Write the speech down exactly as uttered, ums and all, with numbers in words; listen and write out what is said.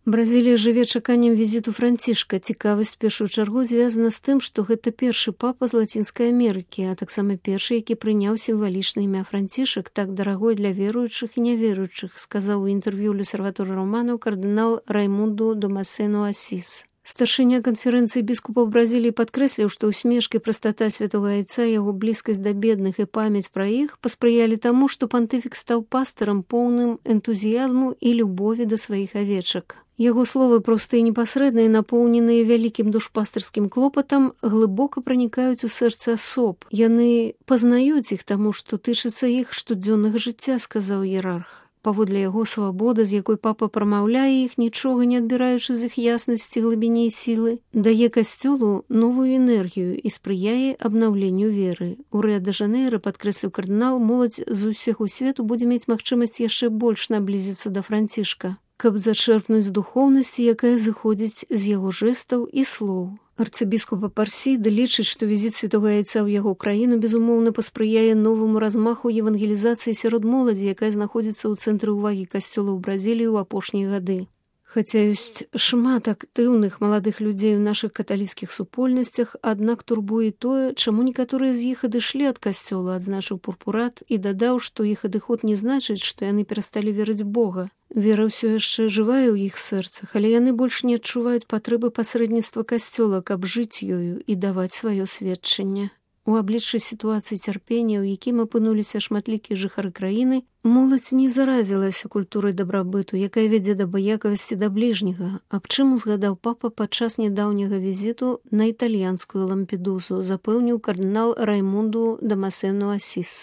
Бразілія жыве чаканнем візіту Францішка. Цікавасць у першую чаргу звязана з тым, што гэта першы папа з Лацінскай Амерыкі, а таксама першы, які прыняў сімвалічнае імя Францішак, так дарагой для веруючых і няверуючых, сказаў у інтэрв'ю Л'Осерватору Романо кардынал Раймунду Дамасену Асіс. Старшыня канферэнцыі біскупаў Бразіліі падкрэсліў, што усмешкі, прастата святога айца, яго блізкасць да бедных і памяць пра іх паспрыялі таму, што пантыфік стаў пастырам поўным энтузіязму і любові да сваіх авечак. Яго словы простыя і непасрэдныя, напоўненыя вялікім душпастырскім клопатам, глыбока пранікаюць у сэрца асоб. Яны пазнаюць іх таму, што тычыцца іх штодзённага жыцця, сказаў іерарх. Паводле яго свабода, з якой папа прамаўляе іх, нічога не адбіраючы з іх яснасці, глыбіні і сілы, дае касцёлу новую энергію і спрыяе абнаўленню веры. У Рыа-дэ-Жанэйра, падкрэсліў кардынал, моладзь з усяго свету будзе мець магчымасць яшчэ больш наблізіцца да Францішка, каб зачэрпнуць духоўнасці, якая зыходзіць з яго жэстаў і слоў. Арцыбіскуп Апарсіда лічыць, што візіт святога айца ў яго краіну безумоўна паспрыяе новаму размаху евангелізацыі сярод моладзі, якая знаходзіцца ў цэнтры ўвагі касцёла ў Бразіліі ў апошнія гады. Хаця ёсць шмат актыўных маладых людзей у нашых каталіцкіх супольнасцях, аднак турбуе тое, чаму некаторыя з іх адышлі ад касцёла, адзначыў Пурпурат і дадаў, што іх адыход не значыць, што яны перасталі верыць Бога. Вера ўсё яшчэ жывая ў іх сэрцах, але яны больш не адчуваюць патрэбы пасрэдніцтва касцёла, каб жыць ёю і даваць сваё сведчанне. У абліччы сітуацыі цярпення, у якім апынуліся шматлікія жыхары краіны, моладзь не заразілася культурай дабрабыту, якая вядзе да абыякавасці да бліжняга, аб чым узгадаў папа падчас нядаўняга візіту на італьянскую Лампедузу, запэўніў кардынал Раймунду Дамасену Асіс.